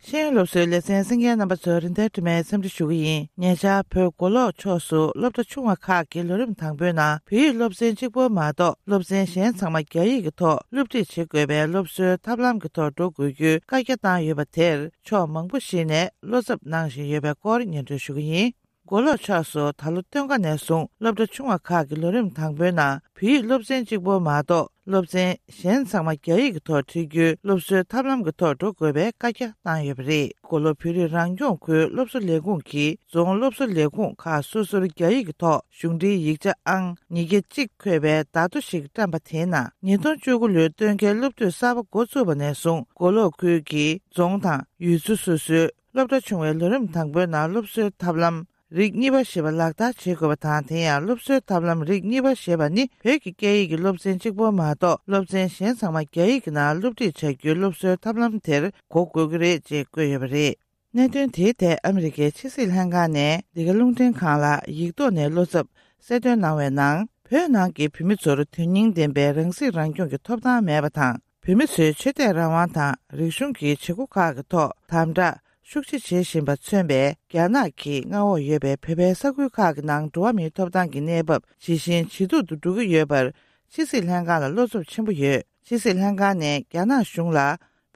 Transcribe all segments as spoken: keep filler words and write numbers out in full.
ཤེས་ཡོན་སློབ་གསོའི་ལེ་ཚན་གསན་མཁན་རྣམ་པ་ཚོར་རིན་ཐར་དྲི་མེད་འཚམས་འདྲི་ཞུ་གི་ཡིན། ཉེ་ཆར་བོད་མགོ་ལོག་ཕྱོགས་སུ་སློབ་གྲྭ་ཆུང་བ་ཁག་གི་ལོ་རིམ་དང་པོའི་ནང་བོད་ཡིག་སློབ་ཚན་གཅིག་པོ་མ་གཏོགས་སློབ་ཚན་གཞན་ཚང་མ་རྒྱ་ཡིག་གི་ཐོག་སློབ་ཁྲིད་བྱེད་དགོས་པའི་སློབ་གསོའི་ཐབས་ལམ་གྱི་ཐོག་འགྲོ་དགོས་རྒྱུའི་བཀའ་རྒྱ་བཏང་ཡོད་པ་དེར་ཕྱོགས་མང་པོ་ཞིག་ནས་བློ་འཚབ་གནང་བཞིན་ཡོད་པའི་སྐོར་སྙན་སྒྲོན་ཞུ་གི་ཡིན། མགོ་ལོག་ཕྱོགས་སུ་ད་ལོ་སྟོན་ཁ་ནས་བཟུང་སློབ་གྲྭ་ཆུང་བ་ཁག་གི་ལོ་རིམ་དང་པོའི་ནང་བོད་ཡིག་སློབ་ཚན་གཅིག་པོ་མ་གཏོགས་སློབ་ཚན་གཞན་ཚང་མ་རྒྱ་ཡིག་གི་ཐོག་ཁྲིད་རྒྱུའི་སློབ་གསོའི་ཐབས་ལམ་གྱི་ཐོག་འགྲོ་དགོས་པའི་བཀའ་རྒྱ་བཏང་ཡོད་པ་རེད། མགོ་ལོག་བོད་རིགས་རང་སྐྱོང་ཁུལ་སློབ་གསོ་ལས་ཁུངས་ཀྱིས་རྫོང་སློབ་གསོ་ལས་ཁུངས་ཁག་སོ་སོར་རྒྱ་ཡིག་གི་ཐོག་གཞུང་འབྲེལ་ཡིག་ཆ་ཨང་ཉིས་བརྒྱ་གཅིག་འཁོད་པའི་བརྡ་ཐོ་ཞིག་བཀྲམ་པ་དེའི་ནང་ཉིས་སྟོང་བཅུ་དགུ་ལོའི་སྟོན་ཁའི་སློབ་དུས་གསར་པ་འགོ་བཙུགས་པ་ནས་བཟུང་མགོ་ལོག་ཁུལ་གྱི་རྫོང་དང་ཡུལ་ཚོ་སོ་སོའི་སློབ་གྲྭ་ཆུང་བའི་ལོ་རིམ་དང་པོའི་ནང་སློབ་གསོའི་ཐབས་ལམ་རིགས་གཉིས་པ་ཞེས་པ་ལག་བསྟར་བྱེད་དགོས་པ་དང་། དེ་ཡང་སློབ་གསོའི་ཐབས་ལམ་རིགས་གཉིས་པ་ཞེས་པ་ནི་བོད་ཀྱི་སྐད་ཡིག་གི་སློབ་ཚན་གཅིག་པོ་མ་གཏོགས་སློབ་ཚན་གཞན་ཚང་མ་རྒྱ་ཡིག་གི་ནང་སློབ་ཁྲིད་བྱ་རྒྱུའི་སློབ་གསོའི་ཐབས་ལམ་དེར་གོ་དགོས་ཀྱི་རེད་ཅེས་བཀོད་ཡོད་པ་རེད། གནད་དོན་དེའི་ཐད་ཨ་མི་རི་ཀའི་ཕྱི་སྲིད་ལྷན་ཁང་ནས་འདི་ག་རླུང་འཕྲིན་ཁང་ལ་ཡིག་ཐོག་ནས་བློ་འཚབ་གསལ་སྟོན་གནང་བའི་ནང་། བོད་ནང་གི་བོད་མི་ཚོར་དོན་སྙིང་ལྡན་པའི་རང་སྲིད་རང་སྐྱོང་གི་ཐོབ་ཐང་མེད་པ་དང་། བོད་མི་ཚོའི་ཆོས་དད་རང་དབང་དང་རིག་གཞུང་གི་བྱེད་སྒོ་ཁག་གི་ཐོག་དམ་དྲག་ཤུགས་ཆེ་བྱེད་བཞིན་པ་མཚོན་པའི་རྒྱ་ནག་གིས་མངའ་འོག་ཡོད་པའི་བོད་པའི་ས་ཁུལ་ཁག་གི་ནང་འགྲོ་བ་མིའི་ཐོབ་ཐང་གི་གནས་བབ་ཇེ་ཞན་ཇེ་སྡུག་ཏུ་འགྲོ་གི་ཡོད་པར་ཕྱི་སྲིད་ལྷན་ཁང་ལ་བློ་འཚབ་ཆེན་པོ་ཡོད། ཕྱི་སྲིད་ལྷན་ཁང་ནས་རྒྱ་ནག་གཞུང་ལ་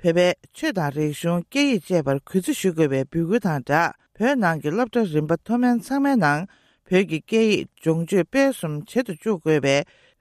བོད་པའི་ཆོས་དང་རིག་གཞུང་སྐད་ཡིག་བཅས་པར་གུས་བརྩི་ཞུ་དགོས་པའི་འབོད་སྐུལ་དང་སྦྲགས། བོད་ནང་གི་སློབ་གྲྭ་རིམ་པ་མཐོ་དམན་ཚང་མའི་ནང་བོད་ཀྱི་སྐད་ཡིག་སྦྱོང་སྤྱོད་སྤེལ་གསུམ་བྱེད་དུ་བཅུག་དགོས་པའི་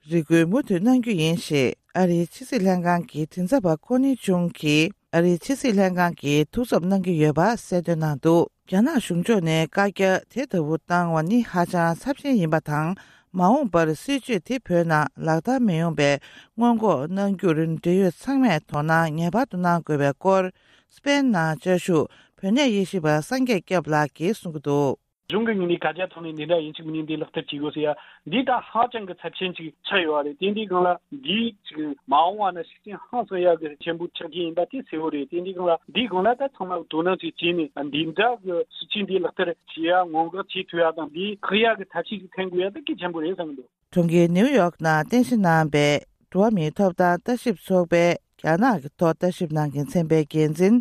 རེ་སྐུལ་མུ་མཐུད་གནང་རྒྱུ་ཡིན་ཞེས་ཨ་རིའི་ཕྱི་སྲིད་ལྷན་ཁང་གི་མགྲིན་ཚབ་པ་ཀོ་ནི་ཅུང་གིས་ཨ་རིའི་ཕྱི་སྲིད་ལྷན་ཁང་གིས་ཐུགས་འཚབ་གནང་གི་ཡོད་པ་གསལ་སྟོན་གནང་འདུག་རྒྱ་ནག་གཞུང་ཕྱོགས་ནས་བཀའ་རྒྱ་དེ་ལྟ་བུ་བཏང་བ་ནི་ཧ་ཅང་ཚབས་ཆེན་ཡིན་པ་དང་། མ་འོངས་པར་སྲིད་བྱུས་དེ་བོད་ནང་ལག་བསྟར་མི་ཡོང་པའི་སྔོན་འགོག་གནང་རྒྱུར་འབྲེལ་ཡོད་ཚང་མས་དོ་སྣང་ངེས་པར་དུ་གནང་དགོས་པའི་སྐོར། སྤེན་ནང་བཅའ་བཞུགས་བོད་གནས་དབྱེ་ཞིབ་པ་སངས་རྒྱས་སྐྱབས་ལགས་ཀྱིས་གསུང་གི་འདུག་གཞུང་གི་ངོས་ནས་བཀའ་རྒྱ་ཐོག་ནས་འདི་འདྲ་ཡིན་གཅིག་མིན་འདི་ལག་བསྟར་བྱེད་དགོས་ཟེར་ཡ། འདི་ད་ཧ་ཅང་གི་ཚབས་ཆེན་ཅིག་ཆགས་ཡོད་རེད། དེ་འདི་སྒང་ལ་འདི་ཅིག་མ་འོངས་པ་ན་ཤུགས་རྐྱེན་ཧང་སང་ཡག་གི་ཆེན་པོ་ཆགས་ཀྱི་ཡིན་པ་དེ་གསལ་བོ་རེད། དེ་འདི་སྒང་ལ་འདི་སྒང་ལ་ད་ཚང་མ་དོ་སྣང་ཅིག་བྱས་ནས་འདི་འདྲ་གི་སྲིད་བྱུས་འདི་ལག་བསྟར་བྱེད་ཡ་སྔོན་འགོག་བྱེད་ཐུབ་ཡ་དང་འདི་བཀག་ཡ་གི་ཐབས་ཤེས་ཅིག་འཐེན་དགོས་ཡ་ད་གལ་ཆེན་པོ་རེད་བསམ་གི་འདུག་གྲོང་ཁྱེར་ནེའུ་ཡོག་ནང་རྟེན་གཞི་གནང་པའི་འགྲོ་བ་མིའི་ཐོབ་ཐང་ལྟ་ཞིབ་ཚོགས་པའི་རྒྱ་ནག་གི་ཐོག་ལྟ་ཞིབ་གནང་མཁན་ཚན་པའི་འགན་འཛིན་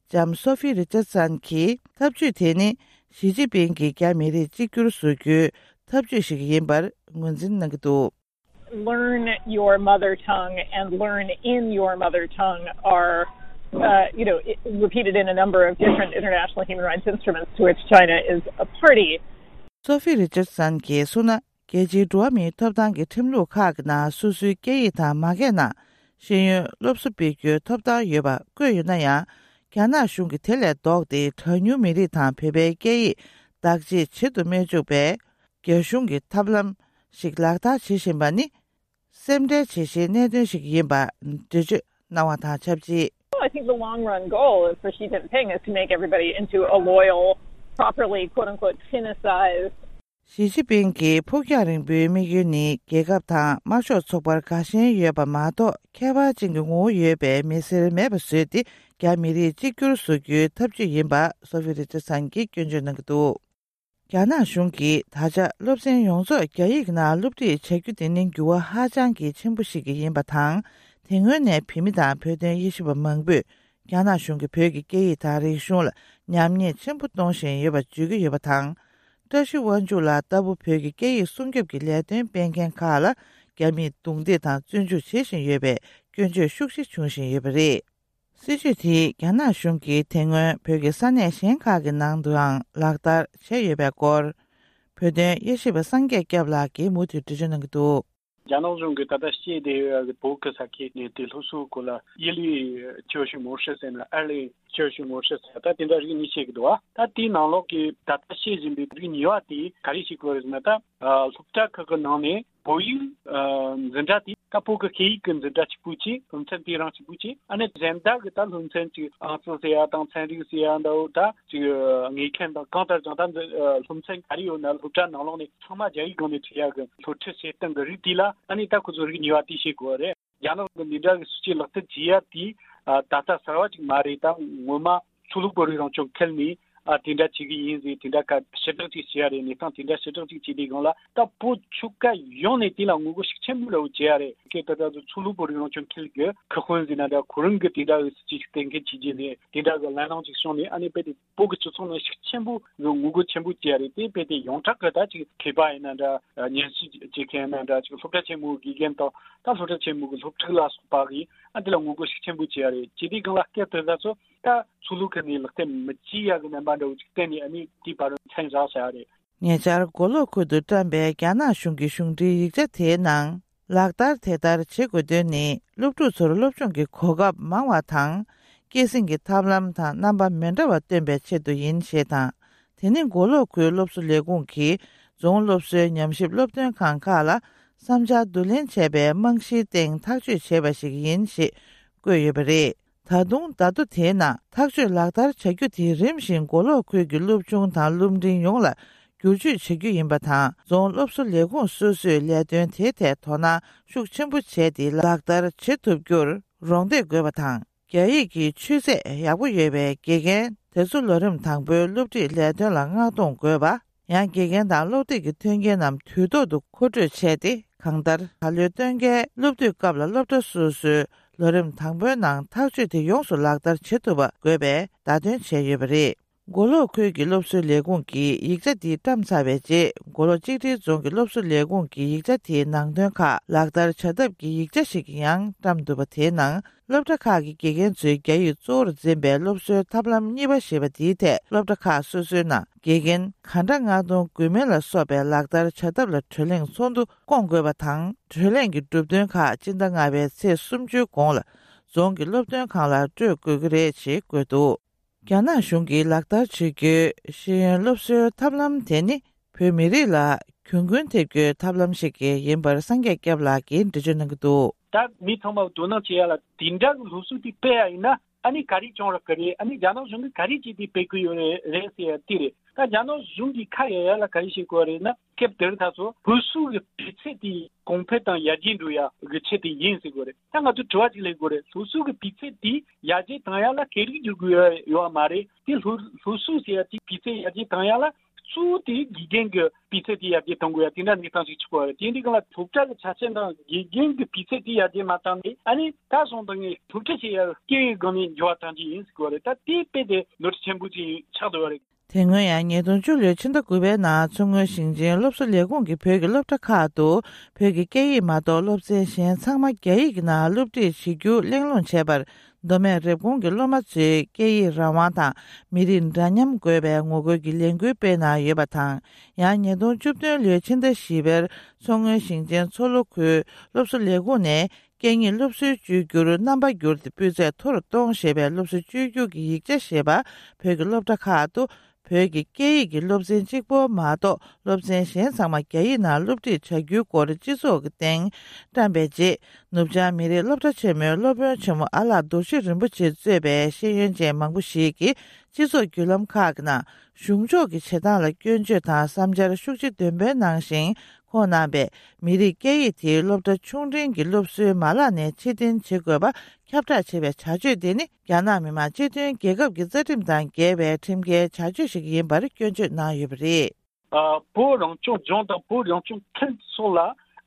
ལྕམ་སོ་ཧྥི་རི་ཅར་སན་གྱིས་ཐབས་ཇུས་དེ་ནི་ཞི་ཅིན་ཕིང་གིས་རྒྱ་མི་རིགས་གཅིག་གྱུར་བཟོ་རྒྱུའི་ཐབས་ཇུས་ཤིག་ཡིན་པར་ངོས་འཛིན་གནང་གི་འདུག Learn your mother tongue and learn in your mother tongue are, uh, you know, i- repeated in a number of different international human rights instruments to which China is a party. སོ་ཧྥི་རི་ཅར་སན་གྱིས་གསུངས་ན། རྒྱལ་སྤྱིའི་འགྲོ་བ་མིའི་ཐོབ་ཐང་གི་ཁྲིམས་ལུགས་ཁག་གི་ནང་སོ་སོའི་སྐད་ཡིག་དང་མ་སྐད་ནང་ཤེས་ཡོན་སློབ་གསོ་སྤེལ་རྒྱུའི་ཐོབ་ཐང་ཡོད་པ་བཀོད་ཡོད་ན་ཡང་། རྒྱ་ནག་གཞུང་གིས་དེ་ལས་ལྡོག་སྟེ་གྲངས་ཉུང་མི་རིགས་དང་བོད་པའི་སྐད་ཡིག་བདག་གཅེས་བྱེད་དུ་མི་འཇུག་པའི་རྒྱ་གཞུང་གི་ཐབས་ལམ་ཞིག་ལག་བསྟར་བྱེད་བཞིན་པ་ནི་སེམས་ཁྲལ་བྱེད་ཤེས་གནད་དོན་ཞིག་ཡིན་པ་འགྲེལ་བརྗོད་གནང་བ་དང་ཆབས་ཅིག I think the long run goal is for Xi Jinping is to make everybody into a loyal, properly, quote unquote, Sinicized ཞི་ཅིན་ཕིང་གི་ཕུགས་རྒྱང་རིང་པོའི་དམིགས་ཡུལ་ནི་རྒྱལ་ཁབ་དང་དམར་ཤོག་ཚོགས་པར་དགའ་ཞེན་ཡོད་པ་མ་གཏོགས། ཁྱད་པར་ཅན་གྱི་ངོ་བོ་ཡོད་པའི་མི་སེར་མེད་པ་བཟོས་ཏེ། རྒྱ་མི་རིགས་གཅིག་གྱུར་བཟོ་རྒྱུའི་ཐབས་ཇུས་ཡིན་པ་སོ་ཧྥི་རི་ཅར་སན་གྱིས་སྐྱོན་བརྗོད་གནང་གི་འདུག་རྒྱ་ནག་གཞུང་གིས་ད་ཆ་སློབ་ཚན་ཡོངས་རྫོགས་རྒྱ་ཡིག་ནང་སློབ་ཁྲིད་བྱ་རྒྱུ་དེ་ནི་འགྱུར་བ་ཧ་ཅང་གི་ཆེན་པོ་ཞིག་ཡིན་པ་དང་། དེ་སྔོན་ནས་བོད་མི་དང་བོད་དོན་དབྱེ་ཞིབ་པ་མང་པོས། རྒྱ་ནག་གཞུང་གིས་བོད་ཀྱི་སྐད་ཡིག་དང་རིག་གཞུང་ལ་ཉམས་ཉེས་ཆེན་པོ་གཏོང་བཞིན་ཡོད་པ་བརྗོད་ཀྱི་ཡོད་པ་དང་། བཀྲ་ཤིས་དབང་ཕྱུག་ལགས་ལྟ་བུ་བོད་ཀྱི་སྐད་ཡིག་སྲུང་སྐྱོབ་ཀྱི་ལས་དོན་སྤེལ་མཁན་ཁག་ལ་རྒྱ་མིས་རྡུང་རྡེག་དང་བཙོན་འཇུག་བྱེད་བཞིན་ཡོད་པའི་སྐྱོན་བརྗོད་ཤུགས་ཆེ་བྱུང་བཞིན་ཡོད་པ་རེད། སྲིད་བྱུས་དེས་རྒྱ་ནག་གཞུང་གིས་དེ་སྔོན་བོད་ཀྱི་ས་གནས་གཞན་ཁག་གི་ནང་དུའང་ལག་བསྟར་བྱས་ཡོད་པའི་སྐོར། བོད་དོན་དབྱེ་ཞིབ་པ་སངས་རྒྱས་སྐྱབས་ལགས་ཀྱིས་མུ་མཐུད་འགྲེལ་བརྗོད་གནང་གི་འདུག་རྒྱ་ནག་གཞུང་གིས་ད་ལྟ་བཤད་བསྡད་ཡོད་པའི་བོད་ཀྱི་ས་ཁུལ་ནས་དེ་སློབ་གསོའི་སྐོར་ལ་ཡི་ལི་教学模式ཟེར་ན་ཨར་ལི་教学模式ཟེར་ད་དེ་འདྲ་རིགས་གཉིས་བཤད་ཀྱི་འདུག་བ། ད་དེའི་ནང་ལོགས་ཀྱི་ད་ལྟ་བཤད་བཞིན་པའི་རིགས་གཉིས་པ་དེ་ག་རེ་བྱེད་དགོས་རེད་ཟེར་ན། ད་སློབ་གྲྭ་ཁག་གི་ནང་ནས་བོད་ཡིག་འཛིན་གྲྭ་དེ་ད་བོད་ཀྱི་སྐད་ཡིག་གི་འཛིན་གྲྭ་གཅིག་པུ་གཅིག་སློབ་ཚན་དེ་རང་གཅིག་པུ་གཅིག་ཨ་ནི་གཞན་དག་གི་ད་སློབ་ཚན་གཅིག་ཨང་རྩིས་ཟེར་ཡ་དང་ཚན་རིག་ཟེར་ཡ་འདྲ་བོ་ད་ཅིག་དངོས་མཁན་དང་གང་ལྟར་ཀྱང་ད་འཛིན་སློབ་ཚན་ག་རེ་ཡོད་ན་སློབ་གྲྭ་ནང་ལོགས་ནས་ཚང་མ་རྒྱ་ཡིག་སྒང་ནས་ཁྲིད་ཡ་གི་སློབ་ཁྲིད་བྱེད་སྟངས་ཀྱི་རིགས་དེ་ལ་ཨ་ནི་ད་ཁོ་ཚོ་རིགས་གཉིས་པ་དེ་བྱེད་དགོས་རེད། རྒྱ་ནག་གི་འདི་འདྲ་གི་སྲིད་བྱུས་ལག་བསྟར་བྱེད་ཡ་དེ་ད་ལྟ་གསར་བ་ཅིག་མ་རེད། ད་ངོ་མ་ཆོས་ལུགས་བོད་རིགས་རང་སྐྱོང་ཁུལ་ནས་ ཨ་དེ་འདྲ་བྱེད་ཀྱི་ཡིན་ཟེར། དེ་འདྲ་ཁ་ཞེ་དྲག་ཅིག་བྱེད་ཡ་རེད། གནས་སྟངས་དེ་འདྲ་ཞེ་དྲག་ཅིག་བྱེད་དུས་སྒང་ལ་ད་བོད་ཆོལ་ཁ་ཡོངས་ནས་དེ་ལ་ངོ་རྒོལ་ཤུགས་ཆེན་པོ་འདྲ་བོ་བྱེད་ཡ་རེད། སྐད་དེ་ད་དུང་ཆོས་ལུགས་བོད་རིགས་རང་སྐྱོང་ཁུལ་གྱི་ཁ་དཔོན་ཟེར་ན་འདྲ། ཁོ་རང་གི་དེ་འདྲ་གི་སྲིད་ཇུས་གཏན་འཁེལ་བྱེད་རྒྱུ་རེད། དེ་འདྲ་གི་ལམ་སྣ་ཅིག་བྱུང་ནས་ཨ་ནི་དཔེ་དེ་བོད་ཀྱི་སྤྱི་ཚོགས་ནང་ཤུགས་ཆེན་པོ་གི་ངོ་རྒོལ་ཆེན་པོ་བྱེད་ཡ་རེད། དེ་དཔེ་དེ་ཡོངས་གྲགས་གི་ད་ཅིག་མཁས་པ་ཡིན་ན་འདྲ། ཉན་ཞིབ་བྱེད་མཁན་ཡིན་ན་འདྲ། ཅིག་སློབ་གྲྭ་ཆེན་མོའི་དགེ་རྒན་དང་ད་སློབ་གྲྭ་ཆེན་མོ་གི་སློབ་ཕྲུག་ལ་སོགས་པ་གིས་ཨ་དེ་ལ་ངོ་རྒོལ་ཤུགས་ཆེན་པོ་བྱེད་ཡ་རེད། བྱེད་དུས་སྒང་ལ་སྐད་དེ་ད་ཚོ་ད་ཆོས་ལུགས་ཀྱི་ནས་ལག་དེབ་མི་བྱེད་ཡ་གི་རྣམ་པ་འདྲ་བོ་ཅིག་བསྟན་ནས་ཨ་ནི་དེའི་བར་མཚན་བཞག་བྱ་རེད། ཉེ་ཆར་མགོ་ལོག་ཁུལ་དུ་བཀྲམ་པའི་རྒྱ་ནག་གཞུང་གི་གཞུང་འབྲེལ་ཡིག་ཆ་དེའི་ནང་། ལག་བསྟར་དེ་ལྟར་བྱེད་དགོས་དོན་ནི། སློབ་ཕྲུག་ཚོར་སློབ་སྦྱོང་གི་གོ་སྐབས་མང་བ་དང་། སྐྱེད་སྲིང་གི་ཐབས་ལམ་དང་རྣམ་པ་མི་འདྲ་བ་སྟོན་པའི་ཆེད་དུ་ཡིན་ཞེས་དང་། དེ་ནི་མགོ་ལོག་ཁུལ་སློབ་གསོ་ལས་ཁུངས་ཀྱིས་རྫོང་སློབ་གསོའི་ཉམས་ཞིབ་སློབ་སྟོན་ཁང་ཁག་ལ་བསམ་འཆར་བསྡུ་ལེན་བྱས་པའི་རྨང་གཞིའི་སྟེང་ཐག་གཅོད་བྱས་པ་ཞིག་ཡིན་ཞེས་བཀོད་ཡོད་པ་རེད། ད་དུང་བརྡ་ཐོ་དེའི་ནང་ཐག་གཅོད་ལག་བསྟར་བྱ་རྒྱུ་དེ་རིམ་བཞིན་མགོ་ལོག་ཁུལ་གྱི་སློབ་ཆུང་དང་སློབ་འབྲིང་ཡོངས་ལ་བསྒྱུར་བཅོས་བྱ་རྒྱུ་ཡིན་པ་དང་། རྫོང་སློབ་གསོ་ལས་ཁུངས་སོ་སོས་ལས་དོན་དེའི་ཐད་དོ་སྣང་ཤུགས་ཆེན་པོ་བྱས་ཏེ་ལག་བསྟར་བྱེད་ཐུབ་རྒྱུར་རོགས་འདེགས་དགོས་པ་དང་། རྒྱ་ཡིག་གི་ཆོས་ཚད་ཡག་པོ་ཡོད་པའི་དགེ་རྒན་དེ་ཚོ་ལོ་རིམ་དང་པོའི་སློབ་ཁྲིད་ལས་དོན་ལ་མངགས་གཏོང་དགོས་པ། ཡང་དགེ་རྒན་དང་སློབ་དེབ་ཀྱི་མཐུན་རྐྱེན་རྣམས་དུས་ཐོག་ཏུ་མཁོ་སྤྲོད་བྱས་ཏེ། གང་ལྟར་ད་ལོའི་སྟོན་ཁའི་སློབ་དུས་སྐབས་ལ་སློབ་གྲྭ་སོ་སོའི་ལོ་རིམ་དང་པོའི་ནང་ཐག་གཅོད་དེ་ཡོངས་སུ་ལག་བསྟར་བྱེད་ཐུབ་པ་དགོས་པའི་བརྡ་སྟོན་བྱས་ཡོད་པ་རེད། མགོ་ལོག་ཁུལ་གྱི་སློབ་གསོའི་ལས་ཁུངས་ཀྱིས་ཡིག་ཆ་འདི་བཀྲམ་ཚར་བའི་རྗེས། མགོ་ལོག་གཅིག་སྒྲིལ་རྫོང་གི་སློབ་གསོ་ལས་ཁུངས་ཀྱིས་ཡིག་ཆ་དེའི་ནང་དོན་ཁག་ལག་བསྟར་བྱ་ཐབས་ཀྱི་ཡིག་ཆ་ཞིག་ཡང་བཀྲམ་འདུག་པ། དེའི་ནང་། སློབ་གྲྭ་ཁག་གི་དགེ་རྒན་ཚོས་རྒྱ་ཡིག་གཙོ་བོར་འཛིན་པའི་སློབ་གསོའི་ཐབས་ལམ་གཉིས་པ་ཞེས་པ་འདིའི་ཐད། སློབ་གྲྭ་ཁག་སོ་སོའི་ནང་དགེ་རྒན་ག་འདྲ་མངགས་གཏོང་དགོས་མིན་ལ་སོགས་པའི་ལག་བསྟར་བྱ་ཐབས་ལ་གྲོས་གླེང་ཚོགས་འདུ་བསྐོང་དགོས་པ་དང་། གྲོས་གླེང་གི་གྲུབ་དོན་ཁག་སྤྱི་ཟླ་ལྔ་པའི་ཚེས་སུམ་ཅུའི་གོང་ལ་རྫོང་གི་སློབ་སྟོན་ཁང་ལ་སྤྲོད་དགོས་ཀྱི་རེད་ཅེས་བཀོད་འདུག་རྒྱ་ནག་གཞུང་གིས་ལག་བསྟར་བྱེད་རྒྱུའི་ཤེས་ཡོན་སློབ་གསོའི་ཐབས་ལམ་དེ་ནི། བོད་མི་རིགས་ལ་གྱོང་གུན་ཐེབས་རྒྱུའི་ཐབས་ལམ་ཞིག་ཡིན་པར་སངས་རྒྱས་སྐྱབས་ལགས་ཀྱིས་འགྲེལ་བརྗོད་གནང་གི་འདུག་ད་མི་ཚང་མ་དོ་སྣང་བྱེད་ཡ་ལ་དེ་འདྲ་གི་སློབ་གསོ་དེ་སྤེལ་ཡ་ཡིན་ན། ཨ་ནི་ག་རེ་བྱུང་རག་གི་རེད། ཨ་ནི་རྒྱ་ནག་གཞུང་གིས་ག་རེ་བྱས་ཏེ་སྤེལ་གི་ཡོད་རེད་རེད་ཟེར་ཡ་དེ་རེད། ད་རྒྱ་ནག་གཞུང་གིས་ཁ་གཡར་ཡ་ལ་ག་རེ་བྱེད་དགོས་རེད་ན། སྐབས་དེར་ད་ཚོ་སློབ་གསོ་གི་སྤུས་ཚད་དེ་གོང་འཕེལ་དང་ཡར་རྒྱས་འགྲོ་ཡ་གི་ཆེད་དུ་ཡིན་ཟེར་དགོས་རེད། ད་ང་ཚོས་དྲི་བ་ཅིག་སླེབས་དགོས་རེད། སློབ་གསོ་གི་སྤུས་ཚད་དེ་ཡར་རྒྱས་བཏང་ཡ་ལ་སྐད་རིགས་བསྒྱུར་དགོས་ཡ་ཡོད་བ་མ་རེད། དེ་སློབ་སློབ་གསོ་ཟེར་ཡ་དེ་སྤུས་ཚད་ཡར་རྒྱས་བཏང་ཡ་ལ་གཙོ་བོ་དེ་དགེ་རྒན་གྱི་སྤུས་ཚད་དེ་ཡར་རྒྱས་གཏོང་དགོས་ཡ་དེ་འདྲ་གནས་སྟངས་ཤིག་ཆགས་པ་རེད། དེ་འདྲའི་སྒང་ལ་སློབ་གྲྭ་གི་ཆ་རྐྱེན་དང་དགེ་རྒན་གྱི་སྤུས་ཚད་དེ་ཡར་རྒྱས་མ་བཏང་ནས། ཨ་ནི་ད་སོང་དང་ངས་སློབ་ཁྲིད་བྱེད་ཡ་སྐད་ཡིག་སྒང་ནས་འགྱུར་བ་གཏོང་རྒྱུ་ཡིན་ཟེར་གོ་རེད། ད་དེ་དཔེ་དེ་ནོར་འཁྲུལ་ཆེན་པོ་ཅིག་ཆགས་འདུག་བ་རེད། དེ་སྔོན་ཡང་ཉིས་སྟོང་བཅུ་ལོའི་ཕྱི་ཟླ་དགུ་པའི་ནང་མཚོ་སྔོན་ཞིང་ཆེན་སློབ་གསོ་ལས་ཁུངས་ཀྱིས་བོད་ཀྱི་སློབ་གྲྭ་ཁག་ཏུ་བོད་ཀྱི་སྐད་ཡིག་མ་གཏོགས་སློབ་ཚན་གཞན་ཚང་མ་རྒྱ་ཡིག་ནང་སློབ་ཁྲིད་བྱེད་རྒྱུ་གླེང་སློང་བྱས་པར། མདོ་སྨད་རེབ་གོང་གི་སློབ་མ་ཚོས་སྐད་ཡིག་རང་དབང་དང་མི་རིགས་འདྲ་མཉམ་དགོས་པའི་ངོ་རྒོལ་གྱི་ལས་འགུལ་སྤེལ་གནང་ཡོད་པ་དང་། ཡང་ཉིས་སྟོང་བཅུ་བདུན་ལོའི་ཕྱི་ཟླ་བཞི་པར་མཚོ་སྔོན་ཞིང་ཆེན་མཚོ་ལྷོ་ཁུལ་སློབ་གསོ་ལས་ཁུངས་ནས་སྐད་གཉིས་སློབ་གསོའི་བཅོས་བསྒྱུར་རྣམ་པ་བསྒྱུར་ཏེ་སྤུས་ཚད་མཐོ་རུ་གཏོང་ཞེས་པའི་སློབ་གསོ་བཅོས་བསྒྱུར་གྱི་ཡིག་ཆ་ཞེས་པ་བོད་ཀྱི་སློབ་གྲྭ་ཁག་ཏུ། བོད་ཀྱི་སྐད་ཡིག་གི་སློབ་ཚན་གཅིག་པོ་མ་གཏོགས་སློབ་ཚན་གཞན་ཚང་མ་རྒྱ་ཡིག་ནང་སློབ་ཁྲིད་བྱ་རྒྱུའི་སྐོར་སྤྱི་ཚོགས་ཀྱི་སྟེང་བཀྲམ་པའི་རྗེས། ནུབ་བྱང་མི་རིགས་སློབ་གྲྭ་ཆེན་མོའི་སློབ་དཔོན་ཆེན་མོ་ཨ་ལགས་རྡོ་རྗེ་རིན་པོ་ཆེ་གཙོས་པའི་ཤེས་ཡོན་ཅན་མང་པོ་ཞིག་གིས་སྤྱི་ཚོགས་བརྒྱུད་ལམ་ཁག་གི་ནང་གཞུང་ཕྱོགས་ཀྱི་བྱེད་སྟངས་ལ་སྐྱོན་བརྗོད་དང་བསམ་འཆར་ཤུགས་ཆེ་འདོན་སྤེལ་གནང་ཞིང་། ཁོང་རྣམ་པས་མི་རིགས་སྐད་ཡིག་དེ་སློབ་གྲྭ་ཆུང་འབྲིང་གི་སློབ་གསོའི་མ་ལག་ནས་ཕྱིར་འཐེན་བྱེད་དགོས་པ་ཁྱབ་བསྒྲགས་བྱས་པའི་བྱ་སྤྱོད་དེ་ནི། རྒྱ་ནག་མི་དམངས་སྤྱི་མཐུན་རྒྱལ་ཁབ་ཀྱི་རྩ་ཁྲིམས་དང་འགལ་བའི་ཁྲིམས་འགལ་བྱ་སྤྱོད་ཞིག་ཡིན་པར་སྐྱོན་བརྗོད་གནང་ཡོད་པ་རེད། ཨ། བོད་རང་སྐྱོང་ལྗོངས་དང་བོད་རང་སྐྱོང་ཁུལ་སོགས་ལ་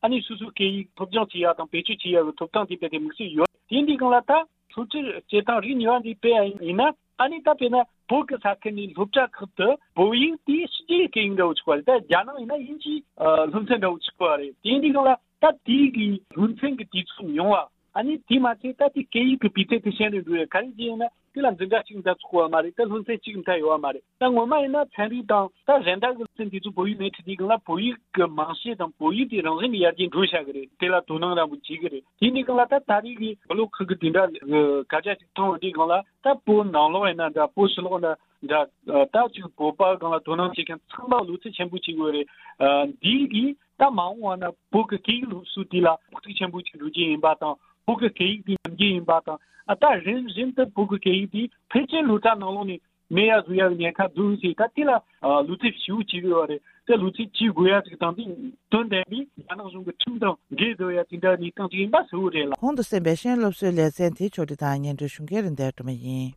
ཨ་ནི་སོ་སོའི་སྐད་ཡིག་སློབ་སྦྱོང་བྱེད་ཡ་དང་བེད་སྤྱོད་བྱེད་ཡ་གི་ཐོབ་ཐང་དེ་སྤེལ་ཏེ་དམིགས་བསལ་ཡོད། དེ་འདི་སྒང་ལ་ད་སློབ་ཁྲིད་བྱེད་སྟངས་རིགས་གཉིས་པ་འདི་སྤེལ་ཡ་ཡིན་ན། ཨ་ནི་ད་དཔེར་ན་བོད་ཀྱི་ས་ཁུལ་ནས་སློབ་གྲྭ་ཁག་ཏུ་བོད་ཡིག་དེ་ཕྱི་རྒྱལ་སྐད་ཡིག་འདྲ་བོ་ཆགས་པ་རེད། ད་རྒྱ་ནག་ཡིན་ན་དབྱིན་ཇིའི་ཨ་སློབ་ཚན་འདྲ་བོ་ཆགས་པ་རེད། དེ་འདི་སྒང་ལ་ད་དེའི་གི་སློབ་ཚན་གྱི་དུས་ཚོད་ཉུང་བ། ཨ་ནི་དེ་མ་ཚད་ད་དེ་སྐད་ཡིག་གི་སྤུས་ཚད་དེ་ཞན་རུ་འགྲོ་ཡ་ག་རེ་བྱས་ཡིན་ན། དེ་ལ་འཛིན་གྲྭ་གཅིག་མཐའ་ཚུགས་པ་མ་རེད། ད་སློབ་ཚན་གཅིག་མཐའ་ཡོད་པ་མ་རེད། ད་ངོ་མ་ཡིན་ན་ཚན་རིག་དང་ད་གཞན་དག་གི་སློབ་ཚན་དེ་ཚོ་བོད་ཡིག་མེད་དུས་དེའི་སྒང་ལ་བོད་ཡིག་གི་རྨང་གཞི་དང་བོད་ཡིག་དེ་རང་བཞིན་གྱིས་ཡར་རྒྱས་འགྲོ་བཞག་གི་རེད། དེ་ལ་དོ་སྣང་ར་མོ་བྱེད་ཀྱི་རེད། དེ་འདི་སྒང་ལ་ད་ད་རེས་ཀྱི་བོད་ལོ་ཁག་གི་དེ་འདྲ་གི་སྐད་ཆ་ཅིག་མཐོང་བ་དེའི་སྒང་ལ་ད་བོད་ནང་ལོགས་ཡིན་ན་འདྲ། བོད་ཕྱི་ལོགས་ན་འདྲ། ད་ཅིག་བོད་པ་སྒང་ལ་དོ་སྣང་བྱེད་མཁན་ཚང་མ་བློ་རྩེ་ཆེན་པོ་བྱེད་དགོས་རེད། འདི་གིས་ད་མ་འོངས་པ་ན་བོད་ཀྱི་སྐད་ཡིག་སློབ་གསོ་དེ་ལ་ཕོག་ཐུག་ཆེན་པོ་ཅིག་འགྲོ་རྒྱུ་ཡིན་པ་དང་། བོད་ཀྱི་སྐད་ཡིག་དེ་ཉམས་རྒྱུ་ཡིན་པ་དང་། ཨ་ད་རིམ་བཞིན་དུ་བོད་ཀྱི་སྐད་ཡིག་དེ་ཕལ་ཆེར་སློབ་གྲྭ་ནང་ལོགས་ནས་མེད་ཡ་བཟོ་ཡ་གི་ཉེན་ཁ་འདུག་ཟེར། ད་དེ་ལ་ཨ་བློ་རྩེ་ཞེ་པོ་བྱེད་དགོས་པ་རེད། དེ་བློ་རྩེ་བྱེད་དགོས་ཡ་ཅིག་དང་དེ་དོན་ལྡན་པའི་རྒྱ་ནག་གཞུང་གི་ཁྲིམས་དང་འགལ་འགྲོ་ཡ་དེ་འདྲ་གནས་སྟངས་ཅིག་ཡིན་པ་གསལ་པོ་རེད་ལ། གོང་དུ་གསན་པའི་ཤེས་ཡོན་སློབ་གསོའི་ལེ་ཚན་དེ་ཕྱོགས་སྒྲིག་དང་སྙན་སྒྲོན་ཞུ་མཁན་རིན་ལྡན་སྒྲོལ་མ་ཡིན།